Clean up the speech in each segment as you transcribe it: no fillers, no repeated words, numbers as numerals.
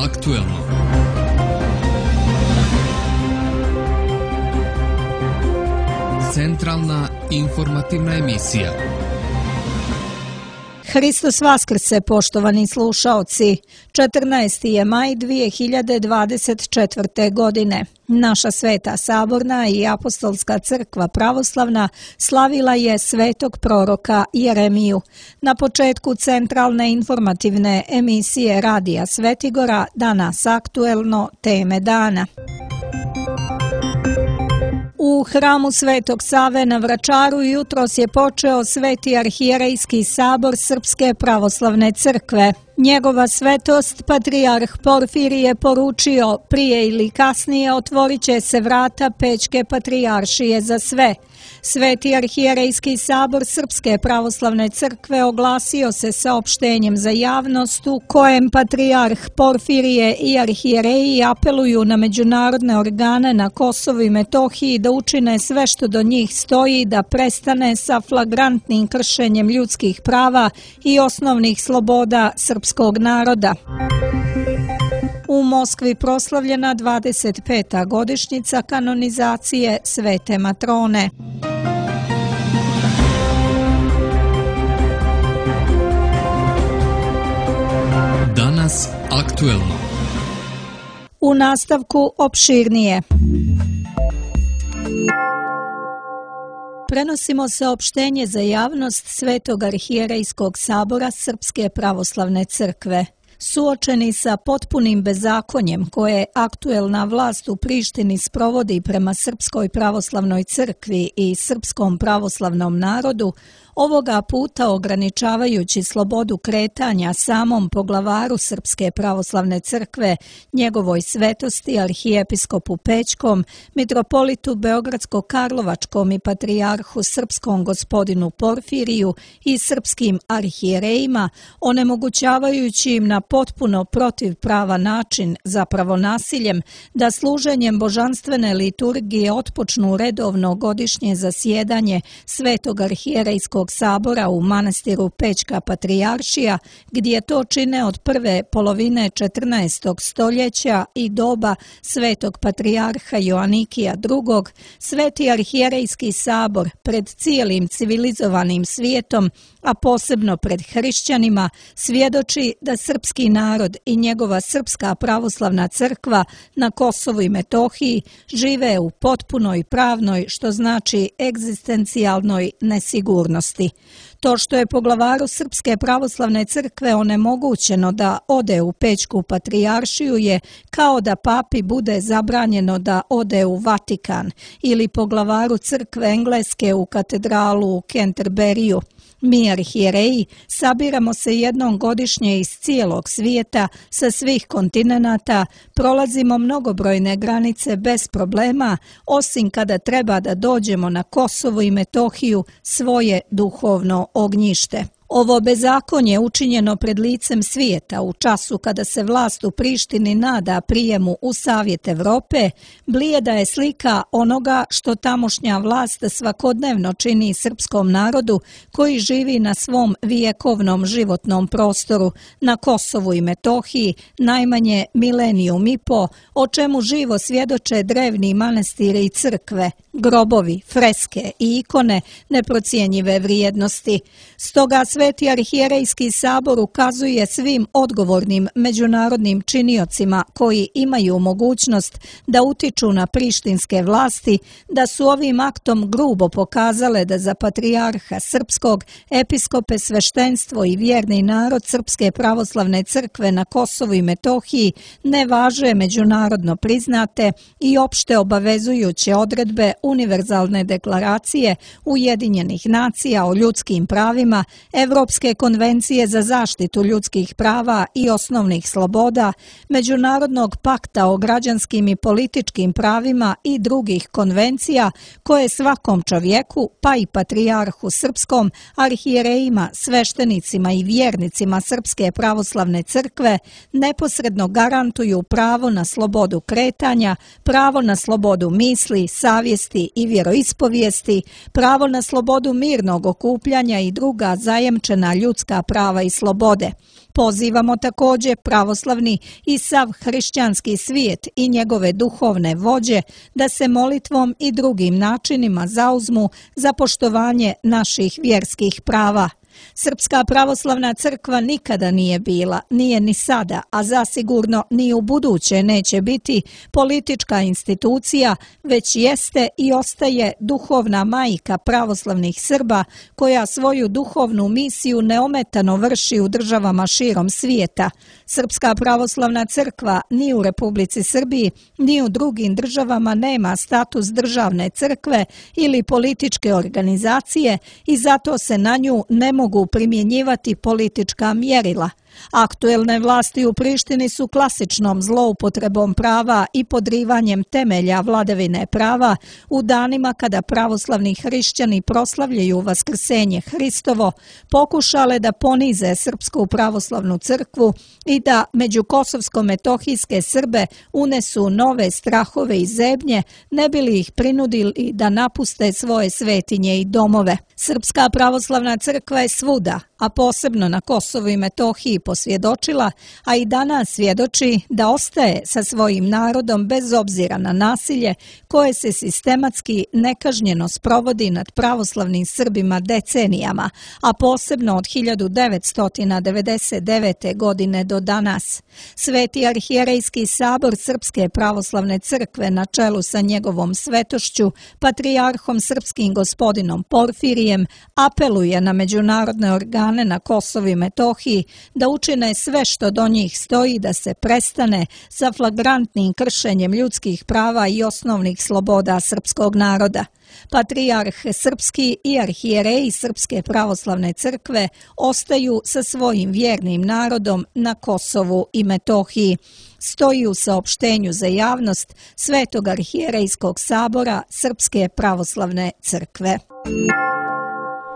aktuelno. Centralna informativna emisija. Hristos Vaskrse, poštovani slušaoci. 14. je maj 2024. godine. Naša Sveta Saborna i Apostolska crkva pravoslavna slavila je svetog proroka Jeremiju. Na početku centralne informativne emisije Radija Svetigora danas aktuelno teme dana. U hramu Svetog Save na Vračaru jutros je počeo Sveti arhijerejski sabor Srpske pravoslavne crkve. Njegova svetost, patrijarh Porfirije, je poručio prije ili kasnije otvorit će se vrata Pećke patrijaršije za sve. Sveti arhijerejski sabor Srpske pravoslavne crkve oglasio se saopštenjem za javnost u kojem patrijarh Porfirije i arhijereji apeluju na međunarodne organe na Kosovu i Metohiji da učine sve što do njih stoji da prestane sa flagrantnim kršenjem ljudskih prava i osnovnih sloboda srpskog naroda. U Moskvi proslavljena 25. godišnjica kanonizacije Svete Matrone. Danas aktuelno. U nastavku opširnije. Prenosimo saopštenje za javnost Svetog arhijerejskog sabora Srpske pravoslavne crkve. Suočeni sa potpunim bezakonjem koje aktuelna vlast u Prištini sprovodi prema Srpskoj pravoslavnoj crkvi i srpskom pravoslavnom narodu, ovoga puta ograničavajući slobodu kretanja samom poglavaru Srpske pravoslavne crkve, njegovoj svetosti arhijepiskopu Pećkom, mitropolitu Beogradsko-Karlovačkom i patrijarhu srpskom gospodinu Porfiriju i srpskim arhijerejima, onemogućavajući im na potpuno protivpravan način, zapravo nasiljem, da služenjem božanstvene liturgije otpočnu redovno godišnje zasjedanje Svetog arhijerejskog sabora u manastiru Pećka patrijaršija, gdje to čine od prve polovine 14. stoljeća i doba Svetog patrijarha Joanikija II, Sveti arhijerejski sabor pred cijelim civilizovanim svijetom, a posebno pred hrišćanima, svjedoči da srpski narod i njegova Srpska pravoslavna crkva na Kosovu i Metohiji žive u potpunoj pravnoj, što znači egzistencijalnoj nesigurnosti. To što je poglavaru Srpske pravoslavne crkve onemogućeno da ode u Pećku patrijaršiju je kao da papi bude zabranjeno da ode u Vatikan ili poglavaru crkve Engleske u katedralu u Canterburyju. Mi arhijereji sabiramo se jednom godišnje iz cijelog svijeta, sa svih kontinenata, prolazimo mnogobrojne granice bez problema, osim kada treba da dođemo na Kosovo i Metohiju, svoje duhovno ognjište. Ovo bezakonje učinjeno pred licem svijeta u času kada se vlast u Prištini nada prijemu u Savjet Evrope, blijeda je slika onoga što tamošnja vlast svakodnevno čini srpskom narodu koji živi na svom vijekovnom životnom prostoru, na Kosovu i Metohiji, najmanje milenijum i po, o čemu živo svjedoče drevni manastiri i crkve, grobovi, freske i ikone neprocjenjive vrijednosti. Stoga Sveti arhijerejski sabor ukazuje svim odgovornim međunarodnim činiocima koji imaju mogućnost da utiču na prištinske vlasti, da su ovim aktom grubo pokazale da za patrijarha srpskog, episkope, sveštenstvo i vjerni narod Srpske pravoslavne crkve na Kosovu i Metohiji ne važe međunarodno priznate i opšte obavezujuće odredbe Univerzalne deklaracije Ujedinjenih nacija o ljudskim pravima, Evropske konvencije za zaštitu ljudskih prava i osnovnih sloboda, Međunarodnog pakta o građanskim i političkim pravima i drugih konvencija koje svakom čovjeku, pa i patrijarhu srpskom, arhijerejima, sveštenicima i vjernicima Srpske pravoslavne crkve neposredno garantuju pravo na slobodu kretanja, pravo na slobodu misli, savjesti i vjeroispovijesti, pravo na slobodu mirnog okupljanja i druga zajemčena ljudska prava i slobode. Pozivamo također pravoslavni i sav hrišćanski svijet i njegove duhovne vođe da se molitvom i drugim načinima zauzmu za poštovanje naših vjerskih prava. Srpska pravoslavna crkva nikada nije bila, nije ni sada, a zasigurno ni u buduće neće biti politička institucija, već jeste i ostaje duhovna majka pravoslavnih Srba koja svoju duhovnu misiju neometano vrši u državama širom svijeta. Srpska pravoslavna crkva ni u Republici Srbiji, ni u drugim državama nema status državne crkve ili političke organizacije i zato se na nju ne mogu primjenjivati politička mjerila. Aktuelne vlasti u Prištini su klasičnom zloupotrebom prava i podrivanjem temelja vladavine prava u danima kada pravoslavni hrišćani proslavljaju Vaskrsenje Hristovo, pokušale da ponize Srpsku pravoslavnu crkvu i da među kosovsko-metohijske Srbe unesu nove strahove i zebnje, ne bi li ih prinudili da napuste svoje svetinje i domove. Srpska pravoslavna crkva je svuda, a posebno na Kosovu i Metohiji posvjedočila, a i danas svjedoči da ostaje sa svojim narodom bez obzira na nasilje koje se sistematski nekažnjeno sprovodi nad pravoslavnim Srbima decenijama, a posebno od 1999. godine do danas. Sveti arhijerejski sabor Srpske pravoslavne crkve na čelu sa njegovom svetošću, patrijarhom srpskim gospodinom Porfirijem, apeluje na međunarodne organe na Kosovu i Metohiji da učine sve što do njih stoji da se prestane sa flagrantnim kršenjem ljudskih prava i osnovnih sloboda srpskog naroda. Patrijarh srpski i arhijereji Srpske pravoslavne crkve ostaju sa svojim vjernim narodom na Kosovu i Metohiji. Stoji u saopštenju za javnost Svetog arhijerejskog sabora Srpske pravoslavne crkve.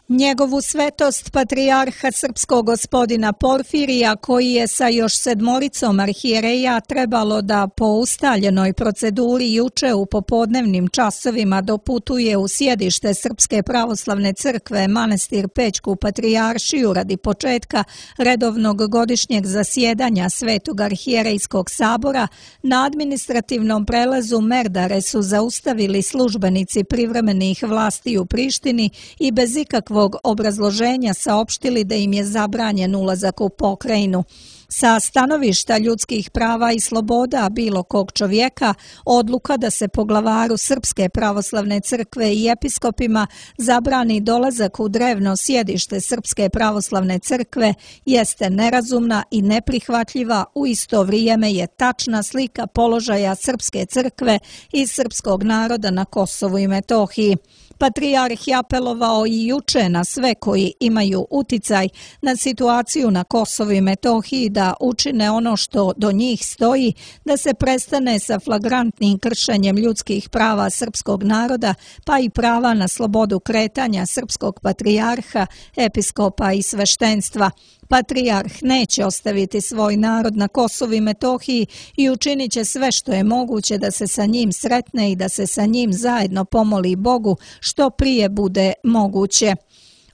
Njegovu svetost patrijarha srpskog gospodina Porfirija, koji je sa još 7 arhijereja trebalo da po ustaljenoj proceduri juče u popodnevnim časovima doputuje u sjedište Srpske pravoslavne crkve manastir Pećku patrijaršiju radi početka redovnog godišnjeg zasjedanja Svetog arhijerejskog sabora, na administrativnom prelazu Merdare su zaustavili službenici privremenih vlasti u Prištini i bez ikakvog obrazloženja saopštili da im je zabranjen ulazak u pokrajinu. Sa stanovišta ljudskih prava i sloboda bilo kog čovjeka, odluka da se poglavaru Srpske pravoslavne crkve i episkopima zabrani dolazak u drevno sjedište Srpske pravoslavne crkve jeste nerazumna i neprihvatljiva, u isto vrijeme je tačna slika položaja Srpske crkve i srpskog naroda na Kosovu i Metohiji. Patrijarh je apelovao i juče na sve koji imaju uticaj na situaciju na Kosovu i Metohiji da učine ono što do njih stoji, da se prestane sa flagrantnim kršenjem ljudskih prava srpskog naroda, pa i prava na slobodu kretanja srpskog patrijarha, episkopa i sveštenstva. Patrijarh neće ostaviti svoj narod na Kosovu i Metohiji i učinit će sve što je moguće da se sa njim sretne i da se sa njim zajedno pomoli Bogu što prije bude moguće.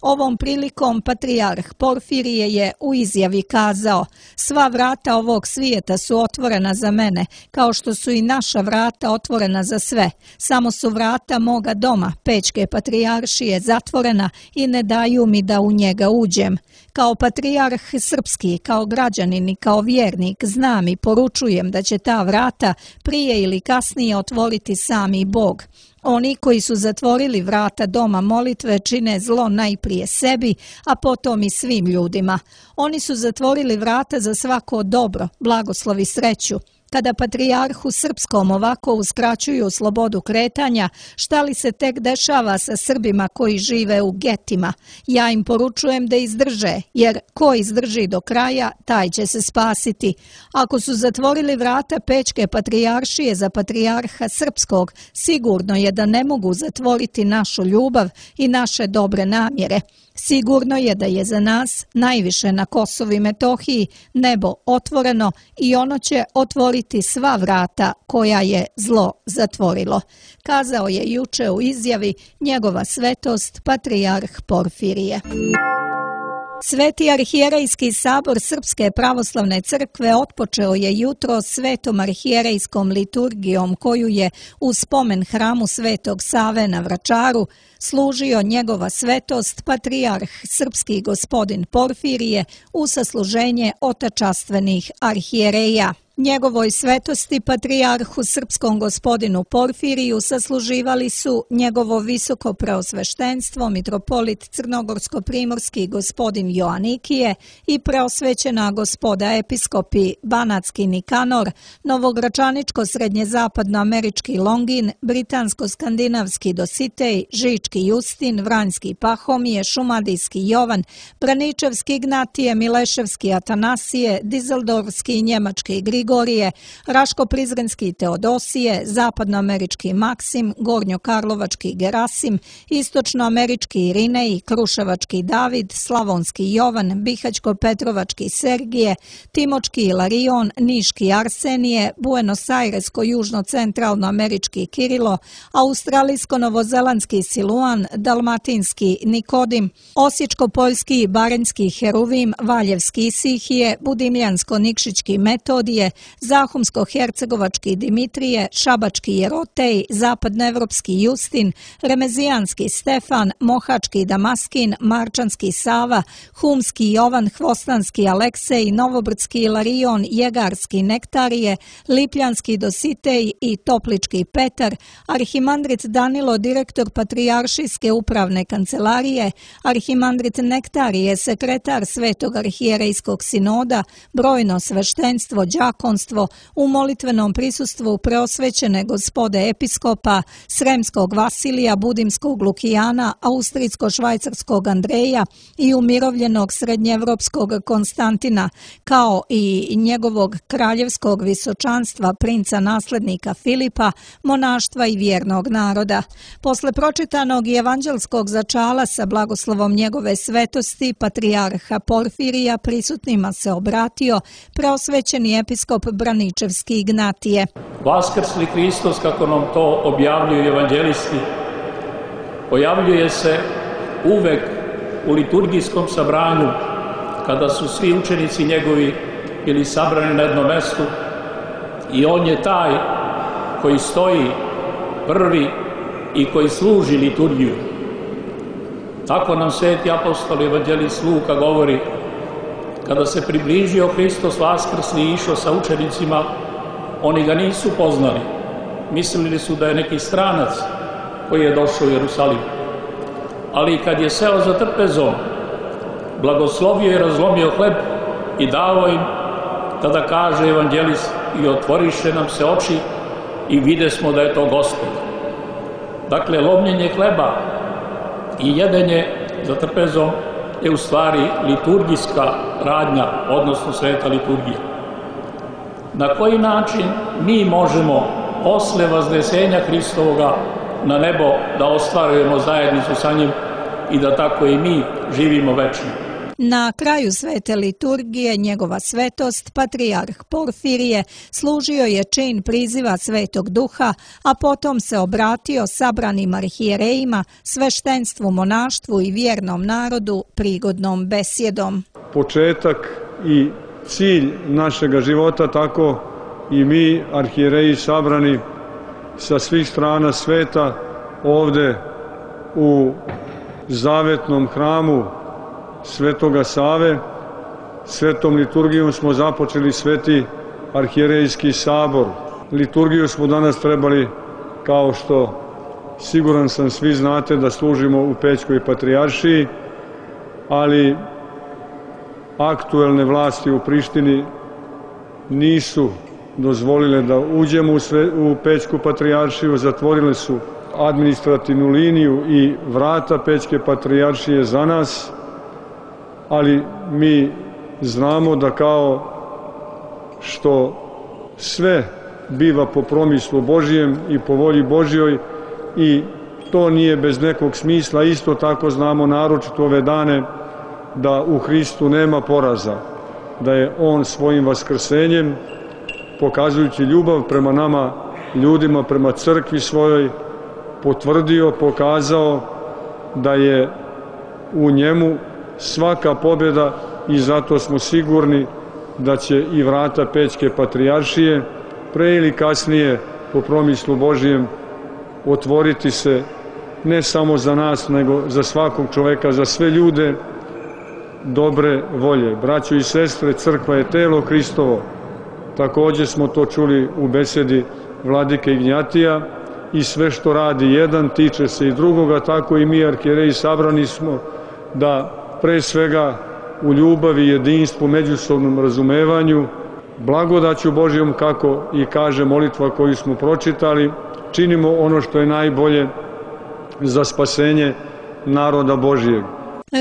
Ovom prilikom patrijarh Porfirije je u izjavi kazao: "Sva vrata ovog svijeta su otvorena za mene, kao što su i naša vrata otvorena za sve. Samo su vrata moga doma, Pećke patrijaršije, zatvorena i ne daju mi da u njega uđem. Kao patrijarh srpski, kao građanin i kao vjernik znam i poručujem da će ta vrata prije ili kasnije otvoriti sami Bog. Oni koji su zatvorili vrata doma molitve čine zlo najprije sebi, a potom i svim ljudima. Oni su zatvorili vrata za svako dobro, blagoslov i sreću. Kada patrijarhu srpskom ovako uskraćuju slobodu kretanja, šta li se tek dešava sa Srbima koji žive u getima? Ja im poručujem da izdrže, jer ko izdrži do kraja, taj će se spasiti. Ako su zatvorili vrata Pećke patrijaršije za patrijarha srpskog, sigurno je da ne mogu zatvoriti našu ljubav i naše dobre namjere. Sigurno je da je za nas, najviše na Kosovu i Metohiji, nebo otvoreno i ono će otvoriti sva vrata koja je zlo zatvorilo", kazao je juče u izjavi njegova svetost patrijarh Porfirije. Sveti arhijerejski sabor Srpske pravoslavne crkve otpočeo je jutro svetom arhijerejskom liturgijom koju je u spomen hramu Svetog Save na Vračaru služio njegova svetost patrijarh srpski gospodin Porfirije u sasluženje otačastvenih arhijereja. Njegovoj svetosti patrijarhu srpskom gospodinu Porfiriju sasluživali su njegovo visoko preosveštenstvo mitropolit crnogorsko-primorski gospodin Joanikije i preosvećena gospoda episkopi Banatski Nikanor, novogračaničko-srednjezapadnoamerički Longin, britansko-skandinavski Dositej, Žički Justin, Vranjski Pahomije, Šumadijski Jovan, Braničevski Ignatije, Mileševski Atanasije, Dizeldorfski i njemački Grigorije, Raško-Prizrenski Teodosije, zapadnoamerički Maksim, gornjokarlovački Gerasim, istočnoamerički Irinej, Kruševački David, Slavonski Jovan, Bihaćko-Petrovački Sergije, Timočki Ilarion, Niški Arsenije, Buenos Airesko-južno-centralnoamerički Kirilo, Australijsko-novozelandski Siluan, Dalmatinski Nikodim, Osječko-poljski i Barenjski Heruvim, Valjevski Isihije, Budimljansko-nikšićki Metodije, Zahumsko-hercegovački Dimitrije, Šabački Jerotej, zapadnoevropski Justin, Remezijanski Stefan, Mohački Damaskin, Marčanski Sava, Humski Jovan, Hvostanski Aleksej, Novobrdski Ilarion, Jegarski Nektarije, Lipljanski Dositej i Toplički Petar, arhimandrit Danilo, direktor Patrijaršijske upravne kancelarije, arhimandrit Nektarije, sekretar Svetog arhijerejskog sinoda, brojno sveštenstvo, đakonstvo, u molitvenom prisustvu preosvećene gospode episkopa, Sremskog Vasilija, Budimskog Lukijana, Austrijsko-švajcarskog Andreja i umirovljenog srednjeevropskog Konstantina, kao i njegovog kraljevskog visočanstva, princa naslednika Filipa, monaštva i vjernog naroda. Posle pročitanog i evanđelskog začala sa blagoslovom njegove svetosti, patrijarha Porfirija prisutnima se obratio preosvećeni episkop Braničevski Ignatije. Vaskrsli Hristos, kako nam to objavljuju evanđelisti, pojavljuje se uvek u liturgijskom sabranju kada su svi učenici njegovi bili sabrani na jednom mestu i on je taj koji stoji prvi i koji služi liturgiju. Tako nam sveti apostol evanđelist Luka govori: kada se približio Hristos vaskrsli i išao sa učenicima, oni ga nisu poznali. Mislili su da je neki stranac koji je došao u Jerusalim. Ali kad je seo za trpezom, blagoslovio i razlomio hleb i dao im, tada kaže evanđelist: i otvoriše nam se oči i videsmo da je to Gospod. Dakle, lomljenje hleba i jedenje za trpezom je u stvari liturgijska radnja, odnosno sveta liturgija. Na koji način mi možemo posle vaznesenja Hristovoga na nebo da ostvarujemo zajednicu sa njim i da tako i mi živimo večno? Na kraju svete liturgije njegova svetost, patrijarh Porfirije, služio je čin priziva Svetog Duha, a potom se obratio sabranim arhijerejima, sveštenstvu, monaštvu i vjernom narodu prigodnom besjedom. Početak i cilj našega života, tako i mi, arhijereji sabrani sa svih strana sveta, ovde u zavetnom hramu Svetoga Save, svetom liturgijom smo započeli sveti arhijerejski sabor. Liturgiju smo danas trebali, kao što siguran sam svi znate, da služimo u Pećkoj patrijaršiji, ali aktuelne vlasti u Prištini nisu dozvolile da uđemo u Pećku patrijaršiju, zatvorile su administrativnu liniju i vrata Pećke patrijaršije za nas, ali mi znamo da kao što sve biva po promislu Božijem i po volji Božjoj i to nije bez nekog smisla, isto tako znamo naročito ove dane da u Hristu nema poraza, da je On svojim vaskrsenjem, pokazujući ljubav prema nama, ljudima, prema crkvi svojoj, potvrdio, pokazao da je u njemu svaka pobjeda i zato smo sigurni da će i vrata Pećke patrijaršije pre ili kasnije po promislu Božijem otvoriti se ne samo za nas, nego za svakog čoveka, za sve ljude dobre volje. Braćo i sestre, crkva je telo Hristovo. Također smo to čuli u besedi vladike Ignjatija i sve što radi jedan tiče se i drugoga, tako i mi arhijereji sabrani smo da pre svega u ljubavi, jedinstvu, međusobnom razumevanju, blagodaću Božjom, kako i kaže molitva koju smo pročitali, činimo ono što je najbolje za spasenje naroda Božjeg.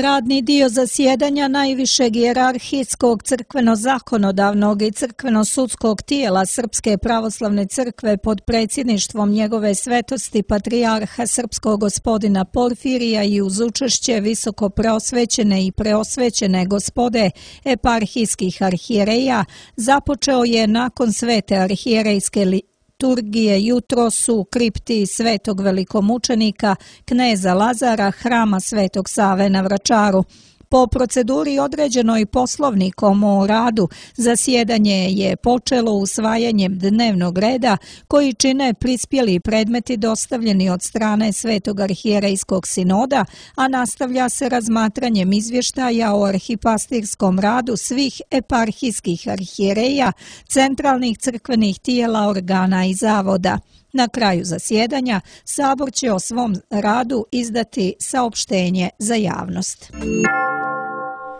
Radni dio zasjedanja najvišeg hijerarhijskog crkveno-zakonodavnog i crkveno-sudskog tijela Srpske pravoslavne crkve pod predsjedništvom njegove svetosti patrijarha srpskog gospodina Porfirija i uz učešće visoko preosvećene i preosvećene gospode eparhijskih arhijereja započeo je nakon svete arhijerejske liturgije jutros u kripti svetog velikomučenika kneza Lazara hrama Svetog Save na Vračaru. Po proceduri određenoj Poslovnikom o radu, zasjedanje je počelo usvajanjem dnevnog reda koji čine prispjeli predmeti dostavljeni od strane Svetog arhijerejskog sinoda, a nastavlja se razmatranjem izvještaja o arhipastirskom radu svih eparhijskih arhijereja, centralnih crkvenih tijela, organa i zavoda. Na kraju zasjedanja Sabor će o svom radu izdati saopštenje za javnost.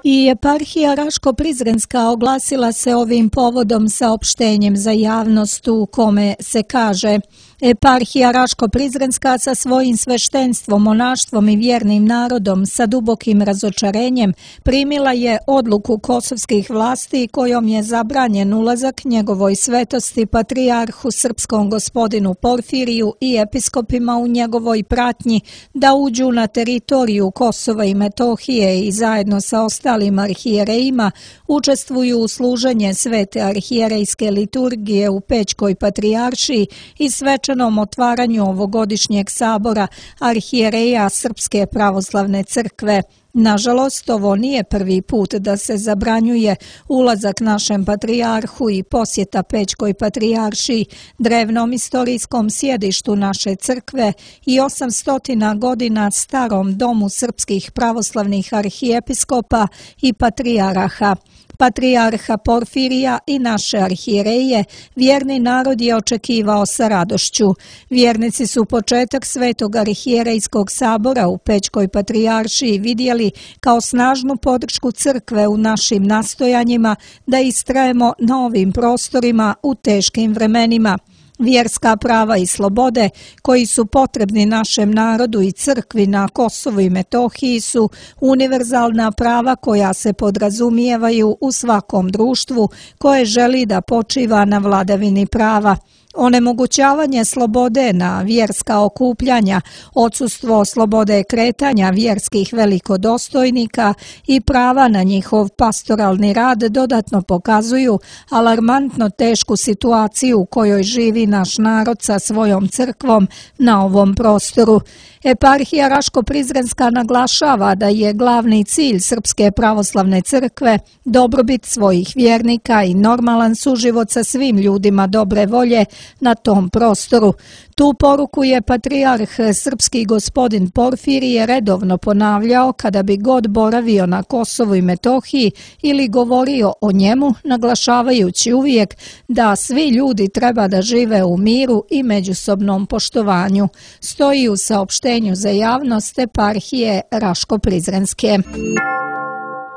I eparhija Raško-Prizrenska oglasila se ovim povodom saopštenjem za javnost u kome se kaže: Eparhija Raško-Prizrenska sa svojim sveštenstvom, monaštvom i vjernim narodom sa dubokim razočarenjem primila je odluku kosovskih vlasti kojom je zabranjen ulazak njegovoj svetosti patrijarhu srpskom gospodinu Porfiriju i episkopima u njegovoj pratnji da uđu na teritoriju Kosova i Metohije i zajedno sa ostalim arhijerejima učestvuju u služenje svete arhijerejske liturgije u Pećkoj patrijaršiji i svečanom otvaranju ovogodišnjeg sabora arhijereja Srpske pravoslavne crkve. Nažalost, ovo nije prvi put da se zabranjuje ulazak našem patrijarhu i posjeta Pećkoj patrijaršiji, drevnom istorijskom sjedištu naše crkve i 800 godina starom domu srpskih pravoslavnih arhijepiskopa i patrijarha. Patrijarha Porfirija i naše arhijereje vjerni narod je očekivao sa radošću. Vjernici su početak Svetog arhijerejskog sabora u Pećkoj patrijaršiji vidjeli kao snažnu podršku crkve u našim nastojanjima da istrajemo na ovim prostorima u teškim vremenima. Vjerska prava i slobode koji su potrebni našem narodu i crkvi na Kosovu i Metohiji su univerzalna prava koja se podrazumijevaju u svakom društvu koje želi da počiva na vladavini prava. Onemogućavanje slobode na vjerska okupljanja, odsustvo slobode kretanja vjerskih velikodostojnika i prava na njihov pastoralni rad dodatno pokazuju alarmantno tešku situaciju u kojoj živi naš narod sa svojom crkvom na ovom prostoru. Eparhija Raško-Prizrenska naglašava da je glavni cilj Srpske pravoslavne crkve dobrobit svojih vjernika i normalan suživot sa svim ljudima dobre volje na tom prostoru. Tu poruku je patrijarh srpski gospodin Porfirije redovno ponavljao kada bi god boravio na Kosovu i Metohiji ili govorio o njemu, naglašavajući uvijek da svi ljudi treba da žive u miru i međusobnom poštovanju. Stoji u saopštenju za javnost eparhije Raško-Prizrenske.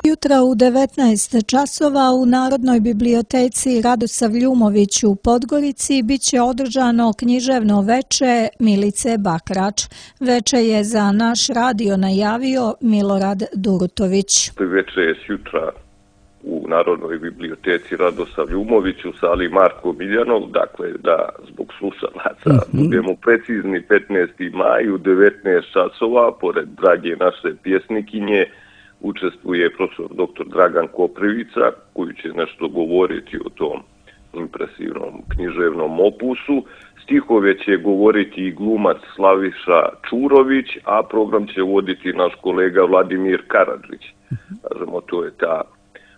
Jutra u 19 časova u Narodnoj biblioteci Radosav Ljumović u Podgorici biće održano književno veče Milice Bakrač. Veče je za naš radio najavio Milorad Durutović. Veče je sjutra u Narodnoj biblioteci Radosav Ljumović u sali Marko Miljanov, dakle da zbog slušalaca budemo precizni, 15. maj u 19 časova, pored drage naše pjesnikinje, učestvuje profesor dr. Dragan Koprivica, koji će nešto govoriti o tom impresivnom književnom opusu. Stihove će govoriti i glumac Slaviša Čurović, a program će voditi naš kolega Vladimir Karadžić. kažemo, to je ta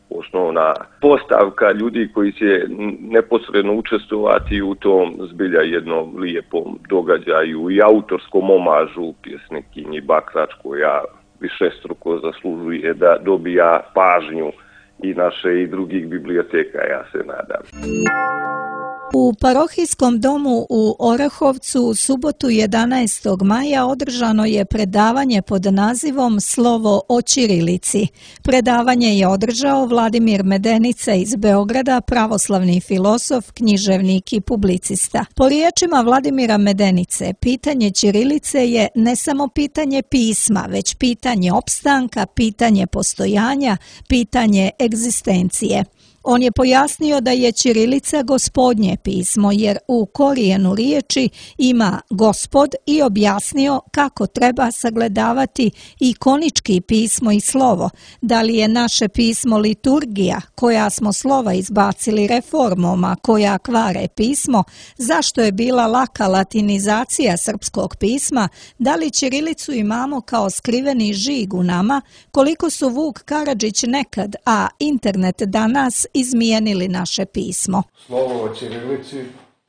osnovna postavka ljudi koji će neposredno učestvovati u tom zbilja jednom lijepom događaju i autorskom omažu pjesnikinji Bakrač, koja višestruko zaslužuje da dobija pažnju i naše i drugih biblioteka, ja se nadam. U parohijskom domu u Orahovcu u subotu 11. maja održano je predavanje pod nazivom Slovo o ćirilici. Predavanje je održao Vladimir Medenica iz Beograda, pravoslavni filozof, književnik i publicista. Po riječima Vladimira Medenice, pitanje ćirilice je ne samo pitanje pisma, već pitanje opstanka, pitanje postojanja, pitanje egzistencije. On je pojasnio da je ćirilica gospodnje pismo jer u korijenu riječi ima gospod i objasnio kako treba sagledavati ikonički pismo i slovo. Da li je naše pismo liturgija koja smo slova izbacili reformom, a koja kvare pismo, zašto je bila laka latinizacija srpskog pisma, da li ćirilicu imamo kao skriveni žig u nama, koliko su Vuk Karadžić nekad, a internet danas izmijenili naše pismo. Slovo o ćirilici,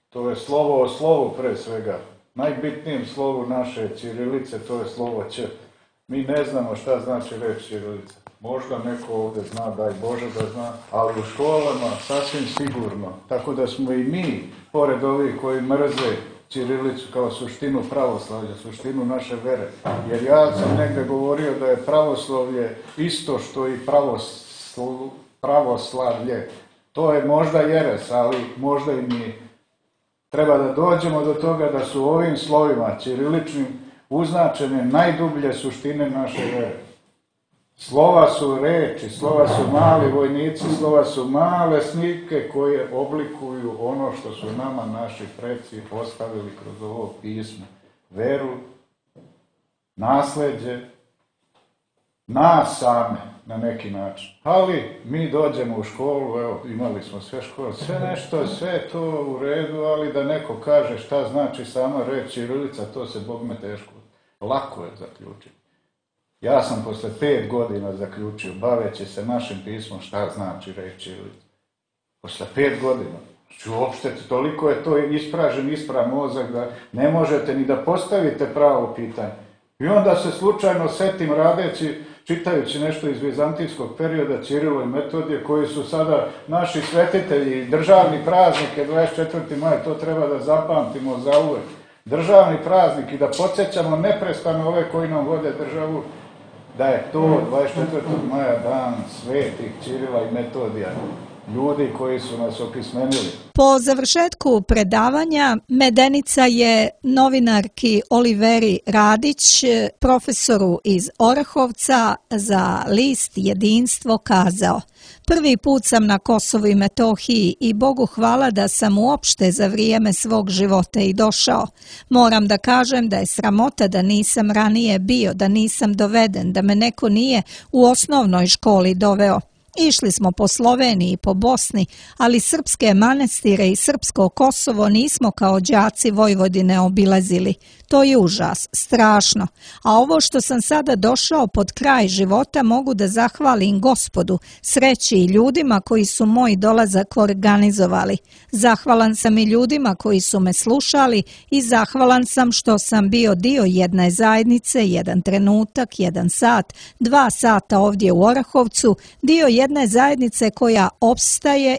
to je slovo o slovu pre svega. Najbitnijem slovu naše ćirilice, to je slovo Ć. Mi ne znamo šta znači reč ćirilica. Možda neko ovdje zna, daj Bože da zna, ali u školama sasvim sigurno. Tako da smo i mi, pored ovih koji mrze ćirilicu kao suštinu pravoslavlja, suštinu naše vere. Jer ja sam negdje govorio da je pravoslavlje isto što i pravoslavlje. To je možda jeres, ali možda i nije. Treba da dođemo do toga da su ovim slovima ćiriličnim uznačene najdublje suštine naše vere. Slova su reči, slova su mali vojnici, slova su male slike koje oblikuju ono što su nama naši preci postavili kroz ovo pismo. Veru, nasleđe, nas same na neki način. Ali mi dođemo u školu, evo imali smo sve škole, sve to u redu, ali da neko kaže šta znači sama reč ćirilica, to se bogme teško. Lako je zaključiti. Ja sam posle 5 godina zaključio, baveći se našim pismom, šta znači reč ćirilica. Posle 5 godina. Znači uopšte toliko je to isprav mozak da ne možete ni da postavite pravo pitanje. I onda se slučajno setim čitajući nešto iz vizantijskog perioda, Ćirilo i Metodije, koji su sada naši svetitelji, državni praznik je 24. maj, to treba da zapamtimo zauvek. Državni praznik i da podsjećamo neprestano ove koji nam vode državu, da je to 24. maja dan svetih Ćirila i Metodija, ljudi koji su nas opismenili. Po završetku predavanja Medenica je novinarki Oliveri Radić, profesoru iz Orahovca za list Jedinstvo kazao: prvi put sam na Kosovu i Metohiji i Bogu hvala da sam uopšte za vrijeme svog života i došao. Moram da kažem da je sramota da nisam ranije bio, da nisam doveden, da me neko nije u osnovnoj školi doveo. Išli smo po Sloveniji i po Bosni, ali srpske manastire i srpsko Kosovo nismo kao đaci Vojvodine obilazili. To je užas, strašno. A ovo što sam sada došao pod kraj života mogu da zahvalim Gospodu, sreći i ljudima koji su moj dolazak organizovali. Zahvalan sam i ljudima koji su me slušali i zahvalan sam što sam bio dio jedne zajednice, jedan trenutak, 1 sat, 2 sata ovdje u Orahovcu, dio jedne zajednice koja opstaje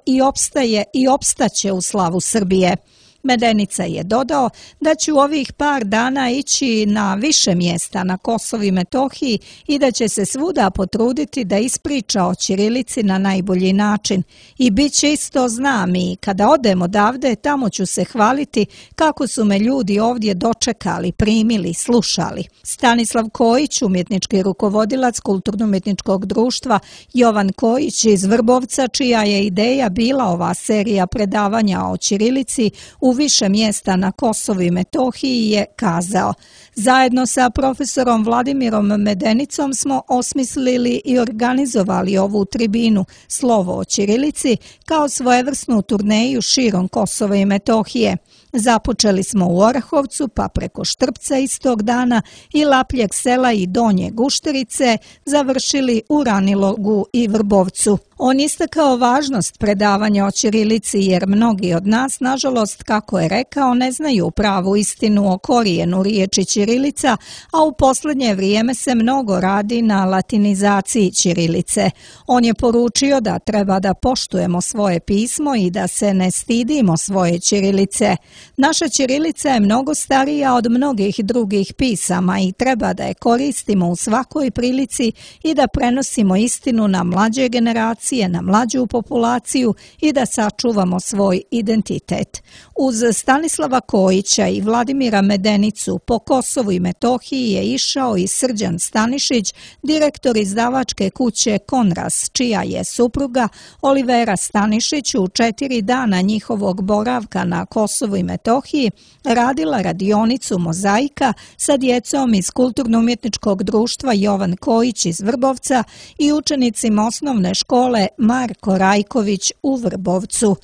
i opstaće u slavu Srbije. Medenica je dodao da će u ovih par dana ići na više mjesta na Kosovu i Metohiji i da će se svuda potruditi da ispriča o ćirilici na najbolji način. I bit će isto, znam, i kada odem odavde, tamo ću se hvaliti kako su me ljudi ovdje dočekali, primili, slušali. Stanislav Kojić, umjetnički rukovodilac Kulturno-umjetničkog društva Jovan Kojić iz Vrbovca, čija je ideja bila ova serija predavanja o ćirilici, u više mjesta na Kosovu i Metohiji je kazao: zajedno sa profesorom Vladimirom Medenicom smo osmislili i organizovali ovu tribinu Slovo o ćirilici kao svojevrsnu turneju širom Kosova i Metohije. Započeli smo u Orahovcu, pa preko Štrpca istog dana i Lapljeg sela i Donje Gušterice završili u Ranilogu i Vrbovcu. On istakao važnost predavanja o ćirilici jer mnogi od nas, nažalost, kako je rekao, ne znaju pravu istinu o korijenu riječi ćirilica, a u posljednje vrijeme se mnogo radi na latinizaciji ćirilice. On je poručio da treba da poštujemo svoje pismo i da se ne stidimo svoje ćirilice. Naša ćirilica je mnogo starija od mnogih drugih pisama i treba da je koristimo u svakoj prilici i da prenosimo istinu na mlađe generacije, na mlađu populaciju i da sačuvamo svoj identitet. Uz Stanislava Kojića i Vladimira Medenicu po Kosovu i Metohiji je išao i Srđan Stanišić, direktor izdavačke kuće Konras, čija je supruga Olivera Stanišić u 4 dana njihovog boravka na Kosovu i Metohiji radila radionicu mozaika sa djecom iz Kulturno-umjetničkog društva Jovan Kojić iz Vrbovca i učenicima osnovne škole Marko Rajković u Vrbovcu.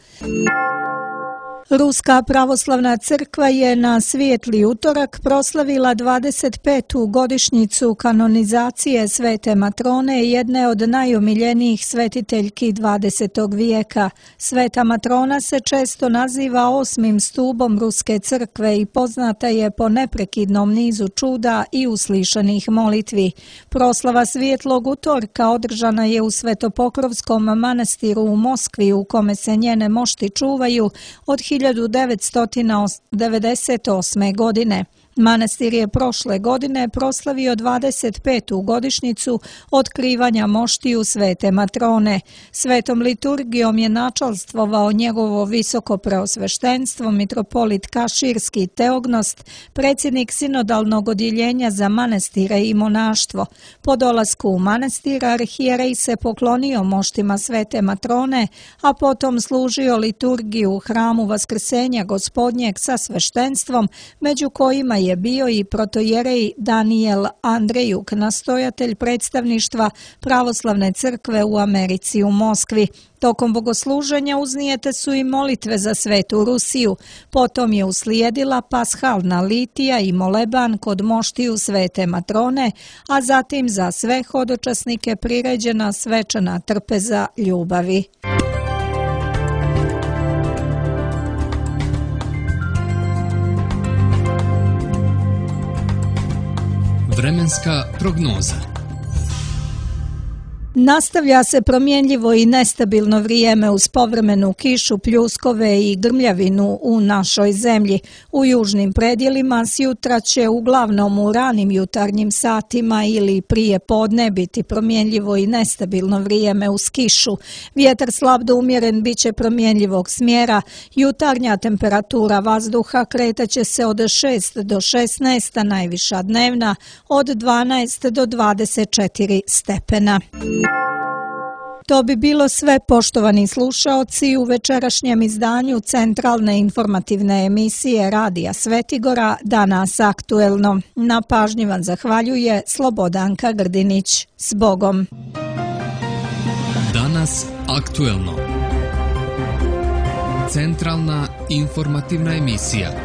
Ruska pravoslavna crkva je na svijetli utorak proslavila 25. godišnjicu kanonizacije Svete Matrone, jedne od najomiljenijih svetiteljki 20. vijeka. Sveta Matrona se često naziva 8. stubom Ruske crkve i poznata je po neprekidnom nizu čuda i uslišanih molitvi. Proslava svijetlog utorka održana je u Svetopokrovskom manastiru u Moskvi, u kome se njene mošti čuvaju od 1998. godine. Manastir je prošle godine proslavio 25. godišnjicu otkrivanja moštiju Svete Matrone. Svetom liturgijom je načalstvovao njegovo visoko preosveštenstvo mitropolit Kaširski Teognost, predsjednik sinodalnog odjeljenja za manastire i monaštvo. Po dolasku u manastir arhijerej se poklonio moštima Svete Matrone, a potom služio liturgiju u hramu Vaskrsenja Gospodnjeg sa sveštenstvom, među kojima je bio i protojerej Daniel Andrejuk, nastojatelj predstavništva Pravoslavne crkve u Americi u Moskvi. Tokom bogosluženja uznijete su i molitve za Svetu Rusiju, potom je uslijedila pashalna litija i moleban kod moštiju Svete Matrone, a zatim za sve hodočasnike priređena svečana trpeza ljubavi. Vremenska prognoza. Nastavlja se promjenljivo i nestabilno vrijeme uz povremenu kišu, pljuskove i grmljavinu u našoj zemlji. U južnim predjelima s jutra će uglavnom u ranim jutarnjim satima ili prije podne biti promjenljivo i nestabilno vrijeme uz kišu. Vjetar slab do umjeren bit će promjenljivog smjera. Jutarnja temperatura vazduha kretaće se od 6 do 16, a najviša dnevna od 12 do 24 stepena. To bi bilo sve, poštovani slušaoci, u večerašnjem izdanju centralne informativne emisije Radija Svetigora Danas aktuelno. Na pažnji vam zahvaljuje Slobodanka Grdinić. S Bogom! Danas aktuelno. Centralna informativna emisija.